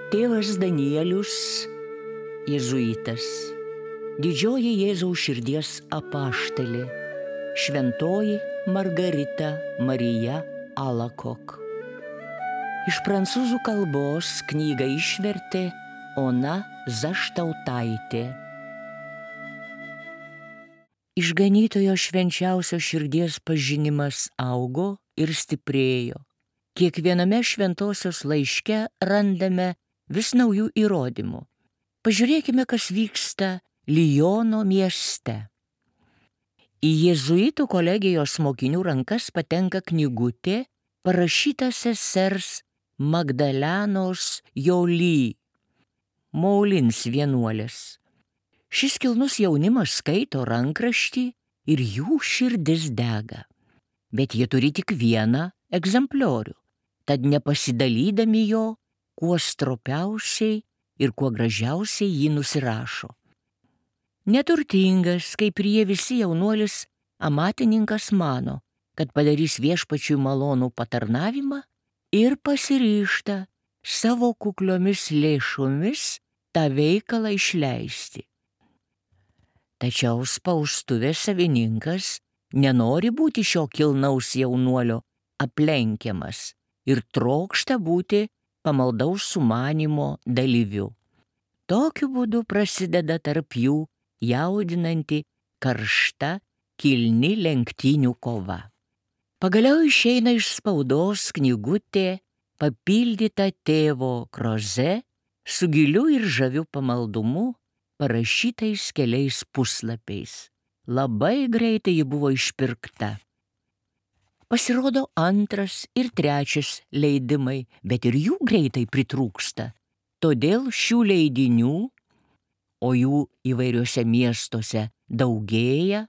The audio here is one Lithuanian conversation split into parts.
Tėvas Danielius, jėzuitas, didžioji Jėzaus širdies apaštalė, šventoji Margarita Marija Alacoque. Iš prancūzų kalbos knygą išvertė Ona Zaštautaitė. Išganytojo švenčiausio širdies pažinimas augo ir stiprėjo. Kiekviename šventosios laiške randame vis naujų įrodymų. Pažiūrėkime, kas vyksta Liono mieste. Į jėzuitų kolegijos mokinių rankas patenka knygutė parašyta sesers Magdalenos Joly, Moulins vienuolės. Šis kilnus jaunimas skaito rankraštį ir jų širdis dega. Bet jie turi tik vieną egzempliorių, tad nepasidalydami jo, kuo stropiausiai ir kuo gražiausiai jį nusirašo. Neturtingas, kaip ir jie visi, jaunuolis amatininkas mano, kad padarys viešpačiui malonų patarnavimą ir pasiryžta savo kukliomis lėšomis tą veikalą išleisti. Tačiau spaustuvės savininkas nenori būti šio kilnaus jaunuolio aplenkiamas ir trokšta būti pamaldaus sumanymo dalyviu. Tokiu būdu prasideda tarp jų jaudinanti, karšta, kilni lenktynių kova. Pagaliau išeina iš spaudos knygutė papildyta tėvo Kroze su giliu ir žaviu pamaldumu, parašytais keliais puslapiais. Labai greitai ji buvo išpirkta. Pasirodo antras ir trečias leidimai, bet ir jų greitai pritrūksta. Todėl šių leidinių, o jų įvairiuose miestuose daugėja,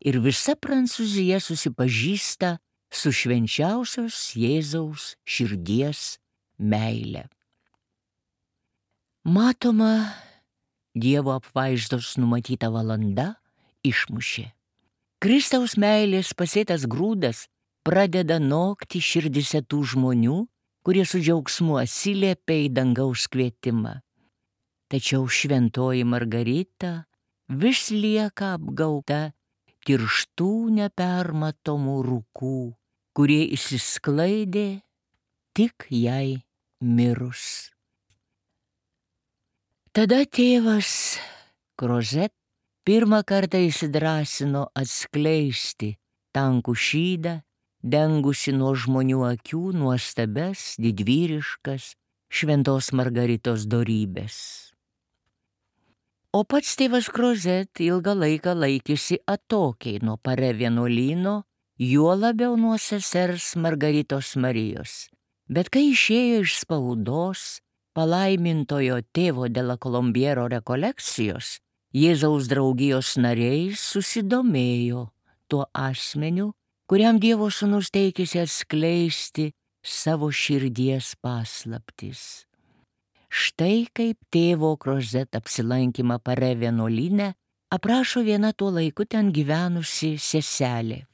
ir visa Prancūzija susipažįsta su švenčiausios Jėzaus širdies meile. Matoma, Dievo apvaizdos numatyta valanda išmušė. Kristaus meilės pasėtas grūdas pradeda nokti širdise tų žmonių, kurie su džiaugsmu atsiliepia į dangaus kvietimą. Tačiau šventoji Margarita vis lieka apgauta tirštų nepermatomų rūkų, kurie išsisklaidė tik jai mirus. Tada tėvas Krozet pirmą kartą įsidrąsino atskleisti tankų šydą, dengusi nuo žmonių akių nuostabes, didvyriškas šventos Margaritos dorybės. O pats tėvas Krozet ilgą laiką laikėsi atokiai nuo Pare vienuolyno, juo labiau nuo sesers Margaritos Marijos. Bet kai išėjo iš spaudos palaimintojo tėvo de la Colombiero rekolekcijos, Jėzaus draugijos nariai susidomėjo tuo asmeniu, kuriam Dievo sūnus teikėsi atskleisti savo širdies paslaptis. Štai kaip tėvo Krozet apsilankymą Pare vienuolyne aprašo viena tuo laiku ten gyvenusi seselė.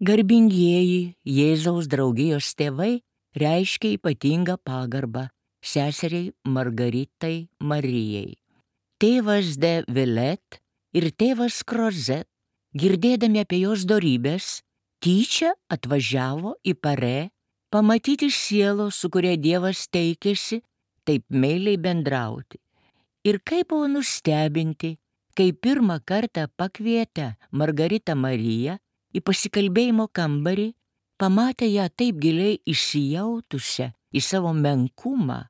Garbingieji Jėzaus draugijos tėvai reiškia ypatingą pagarbą seseriai Margaritai Marijai. Tėvas de Villet ir tėvas Krozet, girdėdami apie jos dorybės, tyčia atvažiavo į Pare pamatyti sielos, su kuria Dievas teikėsi taip meiliai bendrauti. Ir kaip buvo nustebinti, kai pirmą kartą pakvietę Margaritą Mariją į pasikalbėjimo kambarį, pamatė ją taip giliai įsijautusią į savo menkumą,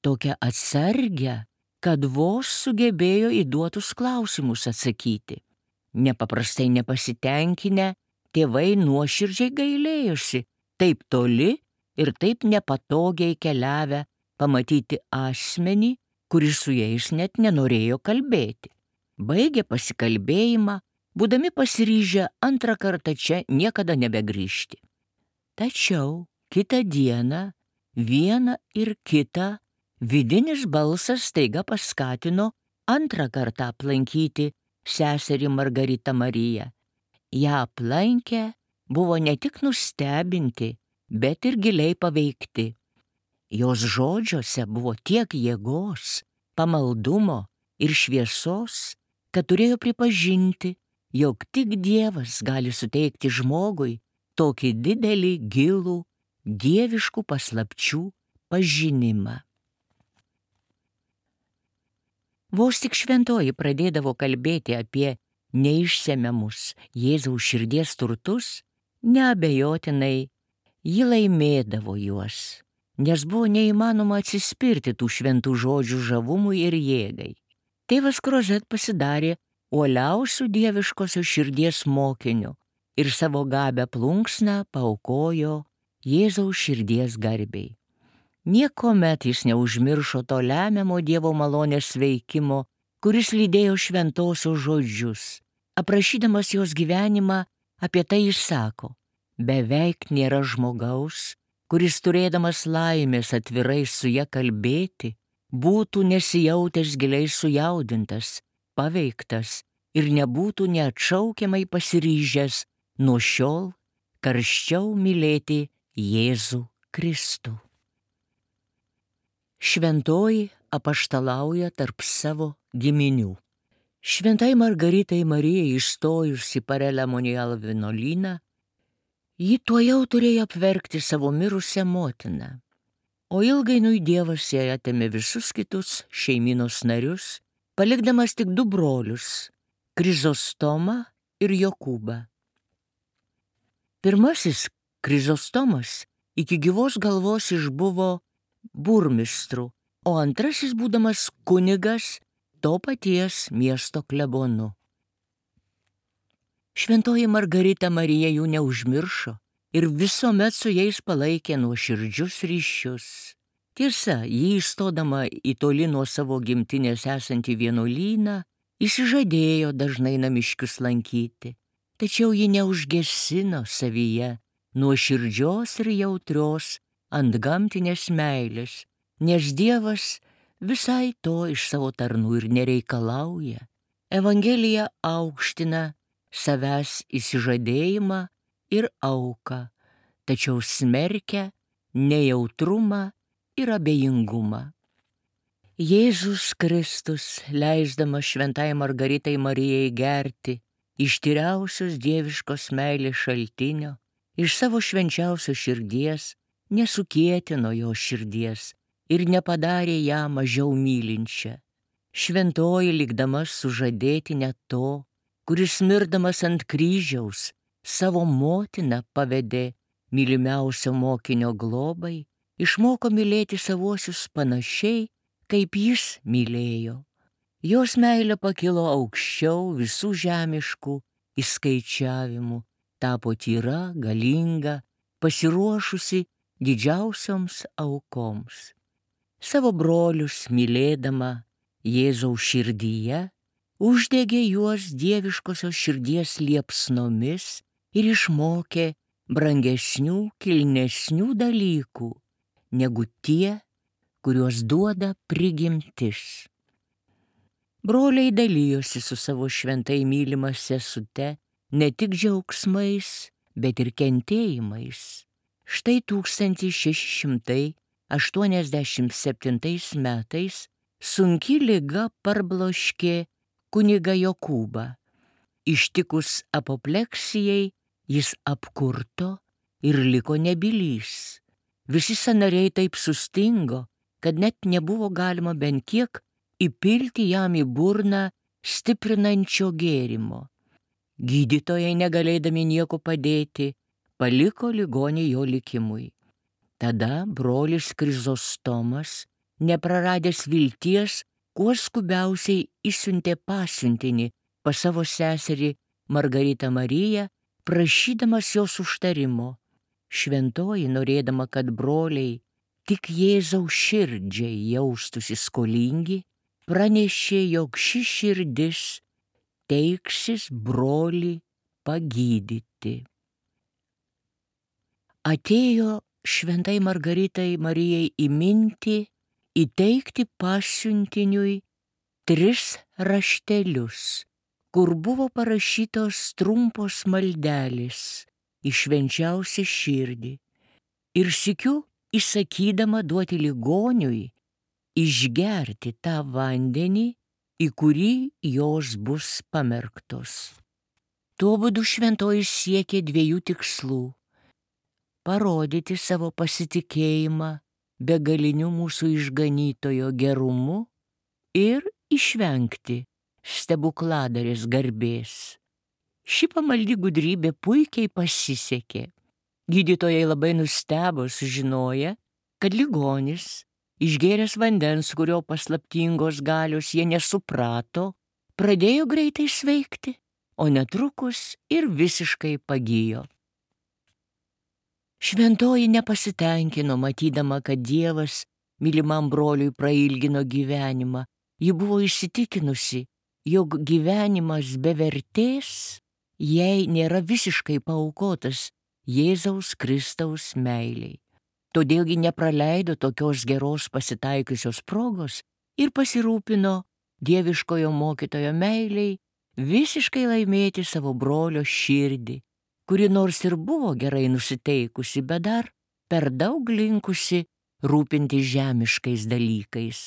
tokią atsargią, kad vos sugebėjo į duotus klausimus atsakyti. Nepaprastai nepasitenkinę, tėvai nuoširdžiai gailėjosi taip toli ir taip nepatogiai keliavę pamatyti asmenį, kuris su jais net nenorėjo kalbėti. Baigė pasikalbėjimą, būdami pasiryžę antrą kartą čia niekada nebegrįžti. Tačiau kitą dieną vieną ir kitą vidinis balsas staiga paskatino antrą kartą aplankyti seserį Margaritą Mariją. Ją aplankę buvo ne tik nustebinti, bet ir giliai paveikti. Jos žodžiuose buvo tiek jėgos, pamaldumo ir šviesos, kad turėjo pripažinti, jog tik Dievas gali suteikti žmogui tokį didelį, gilų, dieviškų paslapčių pažinimą. Vos tik šventoji pradėdavo kalbėti apie neišsemiamus Jėzaus širdies turtus, neabejotinai ji laimėdavo juos, nes buvo neįmanoma atsispirti tų šventų žodžių žavumui ir jėgai. Tėvas Crozet pasidarė uoliausių dieviškosios širdies mokiniu ir savo gabę plunksną paaukojo Jėzaus širdies garbei. Niekuomet jis neužmiršo to lemiamo Dievo malonės veikimo, kuris lydėjo šventosios žodžius. Aprašydamas jos gyvenimą, apie tai jis sako: beveik nėra žmogaus, kuris turėdamas laimės atvirai su ja kalbėti, būtų nesijautęs giliai sujaudintas, paveiktas ir nebūtų neatšaukiamai pasiryžęs nuo šiol karščiau mylėti Jėzų Kristų. Šventoji apaštalauja tarp savo giminių. Šventai Margaritai Marijai įstojus į Parelemonial vienuolyną, ji tuojau turėjo apverkti savo mirusią motiną, o ilgainiui Dievas jai atėmė visus kitus šeimynos narius, palikdamas tik 2 brolius - Krizostomą ir Jokūbą. Pirmasis, Krizostomas, iki gyvos galvos išbuvo burmistru, o antrasis būdamas kunigas to paties miesto klebonu. Šventoji Margarita Marija jų neužmiršo ir visuomet su jais palaikė nuoširdžius ryšius. Tiesa, ji įstodama į toli nuo savo gimtinės esantį vienuolyną, išsižadėjo dažnai namiškius lankyti, tačiau ji neužgesino savyje nuoširdžios ir jautrios antgamtinės meilės, nes Dievas visai to iš savo tarnų ir nereikalauja. Evangelija aukština savęs įsižadėjimą ir auką, tačiau smerkia nejautrumą ir abejingumą. Jėzus Kristus, leisdamas šventai Margaritai Marijai gerti iš tyriausios dieviškos meilės šaltinio, iš savo švenčiausios širdies, nesukietino jo širdies ir nepadarė ją mažiau mylinčią. Šventoji likdama sužadėti net to, kuris mirdamas ant kryžiaus savo motiną pavedė mylimiausio mokinio globai, išmoko mylėti savuosius panašiai, kaip jis mylėjo. Jos meilė pakilo aukščiau visų žemiškų įskaičiavimų, tapo tyra, galinga, pasiruošusi didžiausioms aukoms. Savo brolius mylėdama Jėzaus širdyje, uždegė juos dieviškosios širdies liepsnomis ir išmokė brangesnių, kilnesnių dalykų, negu tie, kuriuos duoda prigimtis. Broliai dalijosi su savo šventai mylima sesute ne tik džiaugsmais, bet ir kentėjimais. Štai 1687 metais sunki liga parbloškė kunigą Jokūbą. Ištikus apopleksijai jis apkurto ir liko nebylys. Visi sąnariai taip sustingo, kad net nebuvo galima bent kiek įpilti jam į burną stiprinančio gėrimo. Gydytojai, negalėdami nieko padėti, paliko ligonį jo likimui. Tada brolis Krizostomas, nepraradęs vilties, kuo skubiausiai išsiuntė pasiuntinį pas savo seserį Margaritą Mariją, prašydamas jos užtarimo. Šventoji, norėdama, kad broliai tik Jėzaus širdžiai jaustųsi skolingi, pranešė, jog ši širdis teiksis brolį pagydyti. Atėjo šventai Margaritai Marijai į mintį įteikti pasiuntiniui 3 raštelius, kur buvo parašytos trumpos maldelės į švenčiausią širdį, ir sykiu įsakydama duoti ligoniui išgerti tą vandenį, į kurį jos bus pamerktos. Tuo būdu šventoji siekė dviejų tikslų – parodyti savo pasitikėjimą begaliniu mūsų išganytojo gerumu ir išvengti stebukladarės garbės. Ši pamaldi gudrybė puikiai pasisekė. Gydytojai labai nustebo sužinoję, kad ligonis, išgėręs vandens, kurio paslaptingos galios jie nesuprato, pradėjo greitai sveikti, o netrukus ir visiškai pagijo. Šventoji nepasitenkino, matydama, kad Dievas mylimam broliui prailgino gyvenimą. Ji buvo įsitikinusi, jog gyvenimas be vertės jai nėra visiškai paaukotas Jėzaus Kristaus meiliai. Todėl ji nepraleido tokios geros pasitaikiusios progos ir pasirūpino dieviškojo mokytojo meiliai visiškai laimėti savo brolio širdį, kuri nors ir buvo gerai nusiteikusi, bet dar per daug linkusi rūpinti žemiškais dalykais.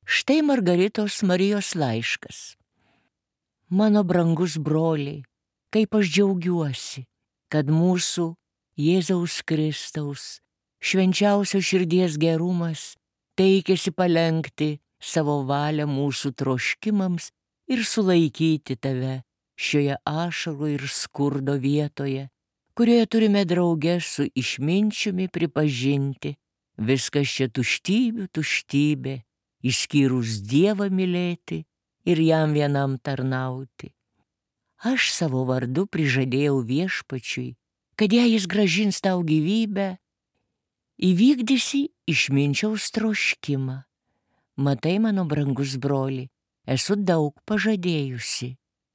Štai Margaritos Marijos laiškas. Mano brangus broliai, kaip aš džiaugiuosi, kad mūsų Jėzaus Kristaus švenčiausio širdies gerumas teikėsi palenkti savo valią mūsų troškimams ir sulaikyti tave šioje ašarų ir skurdo vietoje, kurioje turime drauge su išminčiumi pripažinti, viskas čia tuštybė, išskyrus Dievą mylėti ir jam vienam tarnauti. Aš savo vardu prižadėjau viešpačiui, kad jei jis grąžins tau gyvybę, įvykdysi išminčiaus troškimą. Matai, mano brangus broli, esu daug pažadėjusi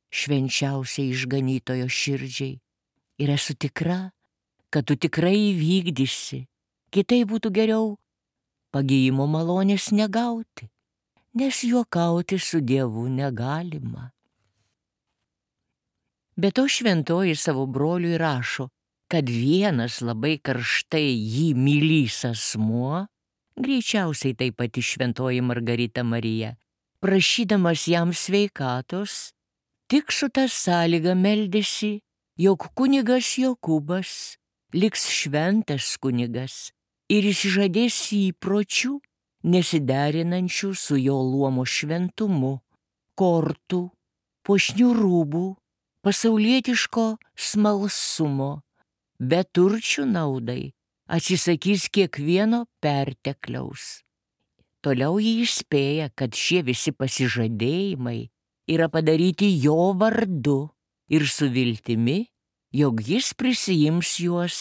švenčiausiai išganytojo širdžiai ir esu tikra, kad tu tikrai įvykdysi. Kitai būtų geriau pagijimo malonės negauti, nes juokauti su Dievu negalima. Be to šventoji savo broliui rašo, kad vienas labai karštai jį mylys asmuo, greičiausiai tai pati šventoji Margarita Marija, prašydamas jam sveikatos, tik su ta sąlyga meldėsi, jog kunigas Jokūbas liks šventas kunigas ir išsižadės įpročių, nesiderinančių su jo luomo šventumu, kortų, puošnių rūbų, pasaulietiško smalsumo, beturčių naudai atsisakys kiekvieno pertekliaus. Toliau jį įspėja, kad šie visi pasižadėjimai yra padaryti jo vardu ir su viltimi, jog jis prisiims juos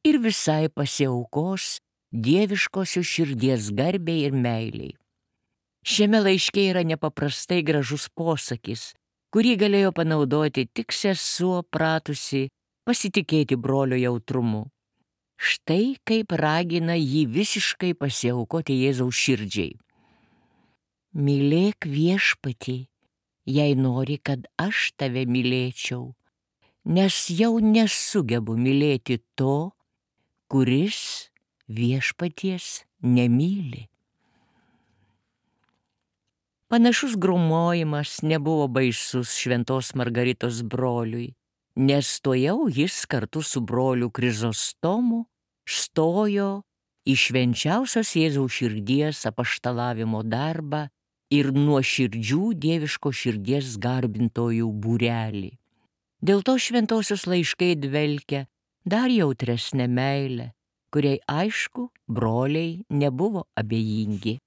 ir visai pasiaukos dieviškosios širdies garbei ir meiliai. Šiame laiške yra nepaprastai gražus posakis, kurį galėjo panaudoti tik sesuo pratusi pasitikėti brolio jautrumu. Štai kaip ragina jį visiškai pasiaukoti Jėzaus širdžiai. Mylėk viešpatį, jei nori, kad aš tave mylėčiau, nes jau nesugebu mylėti to, kuris viešpaties nemyli. Panašus grūmojimas nebuvo baisus šventos Margaritos broliui, nes tuojau jis kartu su broliu Krizostomu stojo į švenčiausios Jėzaus širdies apaštalavimo darbą ir nuoširdžių dieviško širdies garbintojų būrelį. Dėl to šventosios laiškai dvelkia dar jautresnę meilę, kuriai aišku broliai nebuvo abejingi.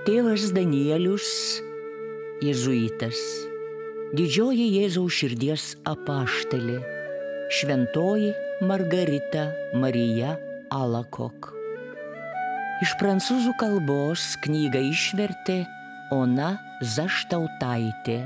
Tėvas Danielius, jėzuitas, didžioji Jėzaus širdies apaštalė, šventoji Margarita Marija Alacoque. Iš prancūzų kalbos knygą išvertė Ona Zaštautaitė.